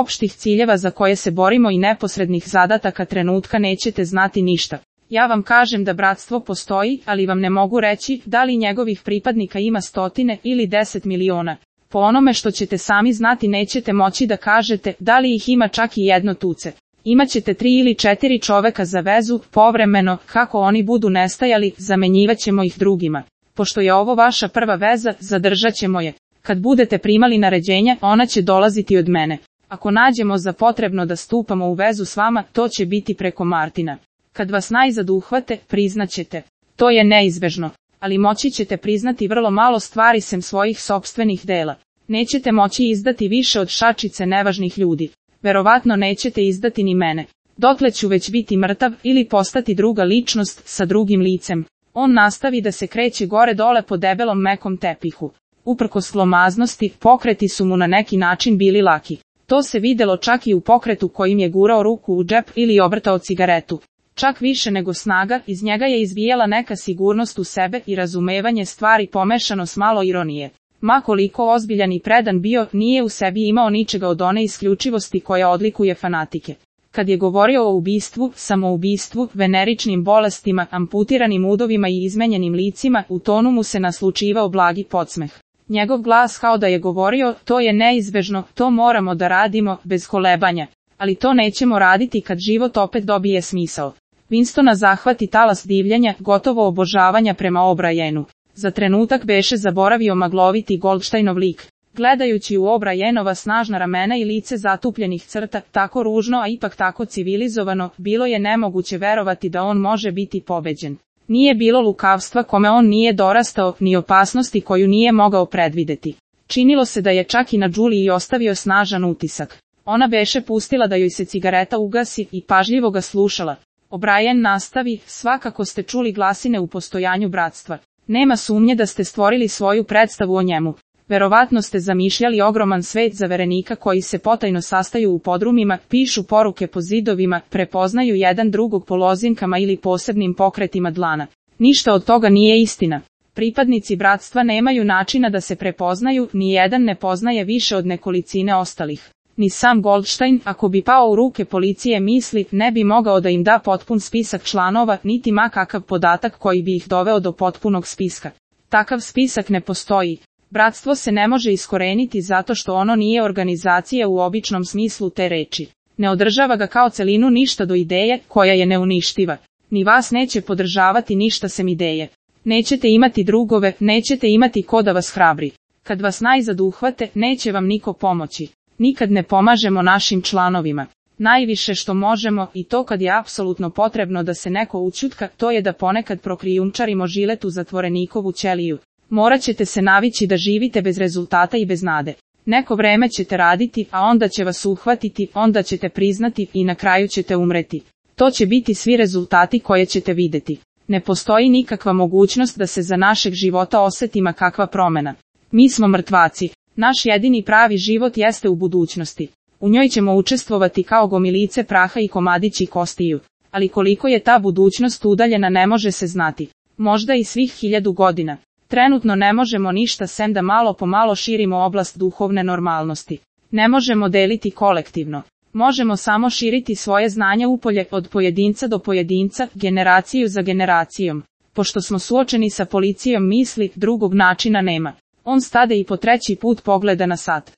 opštih ciljeva za koje se borimo i neposrednih zadataka trenutka nećete znati ništa. Ja vam kažem da bratstvo postoji, ali vam ne mogu reći da li njegovih pripadnika ima 100 ili 10 miliona. Po onome što ćete sami znati nećete moći da kažete da li ih ima čak i jedno tuce. Imaćete 3 ili 4 čoveka za vezu, povremeno, kako oni budu nestajali, zamenjivat ćemo ih drugima. Pošto je ovo vaša prva veza, zadržat ćemo je. Kad budete primali naređenja, ona će dolaziti od mene. Ako nađemo za potrebno da stupamo u vezu s vama, to će biti preko Martina. Kad vas najzad uhvate, priznaćete. To je neizbežno. Ali moći ćete priznati vrlo malo stvari sem svojih sopstvenih dela. Nećete moći izdati više od šačice nevažnih ljudi. Verovatno nećete izdati ni mene. Dotle ću već biti mrtav ili postati druga ličnost sa drugim licem. On nastavi da se kreće gore dole po debelom mekom tepihu. Uprkos glomaznosti, pokreti su mu na neki način bili laki. To se videlo čak i u pokretu kojim je gurao ruku u džep ili obrtao cigaretu. Čak više nego snaga, iz njega je izvijela neka sigurnost u sebe i razumevanje stvari pomešano s malo ironije. Ma koliko ozbiljan i predan bio, nije u sebi imao ničega od one isključivosti koja odlikuje fanatike. Kad je govorio o ubistvu, samoubistvu, veneričnim bolestima, amputiranim udovima i izmenjenim licima, u tonu mu se naslučivao blagi podsmeh. Njegov glas kao da je govorio, to je neizbežno, to moramo da radimo, bez kolebanja. Ali to nećemo raditi kad život opet dobije smisao. Winstona zahvati talas divljenja, gotovo obožavanja prema O'Brienu. Za trenutak beše zaboravio magloviti Goldsteinov lik. Gledajući u O'Brienova snažna ramena i lice zatupljenih crta, tako ružno a ipak tako civilizovano, bilo je nemoguće verovati da on može biti pobeđen. Nije bilo lukavstva kome on nije dorastao, ni opasnosti koju nije mogao predvideti. Činilo se da je čak i na Juliji ostavio snažan utisak. Ona beše pustila da joj se cigareta ugasi i pažljivo ga slušala. O'Brien nastavi, svakako ste čuli glasine u postojanju bratstva. Nema sumnje da ste stvorili svoju predstavu o njemu. Verovatno ste zamišljali ogroman svet zaverenika koji se potajno sastaju u podrumima, pišu poruke po zidovima, prepoznaju jedan drugog po lozinkama ili posebnim pokretima dlana. Ništa od toga nije istina. Pripadnici bratstva nemaju načina da se prepoznaju, ni jedan ne poznaje više od nekolicine ostalih. Ni sam Goldstein, ako bi pao u ruke policije misli, ne bi mogao da im da potpun spisak članova, niti ma kakav podatak koji bi ih doveo do potpunog spiska. Takav spisak ne postoji. Bratstvo se ne može iskoreniti zato što ono nije organizacija u običnom smislu te reči. Ne održava ga kao celinu ništa do ideje, koja je neuništiva. Ni vas neće podržavati ništa sem ideje. Nećete imati drugove, nećete imati ko da vas hrabri. Kad vas najzad uhvate, neće vam niko pomoći. Nikad ne pomažemo našim članovima. Najviše što možemo, i to kad je apsolutno potrebno da se neko ućutka, to je da ponekad prokrijumčarimo žilet u zatvorenikovu ćeliju. Morat ćete se navići da živite bez rezultata i bez nade. Neko vreme ćete raditi, a onda će vas uhvatiti, onda ćete priznati i na kraju ćete umreti. To će biti svi rezultati koje ćete videti. Ne postoji nikakva mogućnost da se za našeg života oseti ma kakva promjena. Mi smo mrtvaci. Naš jedini pravi život jeste u budućnosti. U njoj ćemo učestvovati kao gomilice praha i komadići kostiju. Ali koliko je ta budućnost udaljena ne može se znati. Možda i svih 1000 godina. Trenutno ne možemo ništa sem da malo po malo širimo oblast duhovne normalnosti. Ne možemo deliti kolektivno. Možemo samo širiti svoje znanje upolje od pojedinca do pojedinca, generaciju za generacijom. Pošto smo suočeni sa policijom misli, drugog načina nema. On stade i po 3. put pogleda na sat.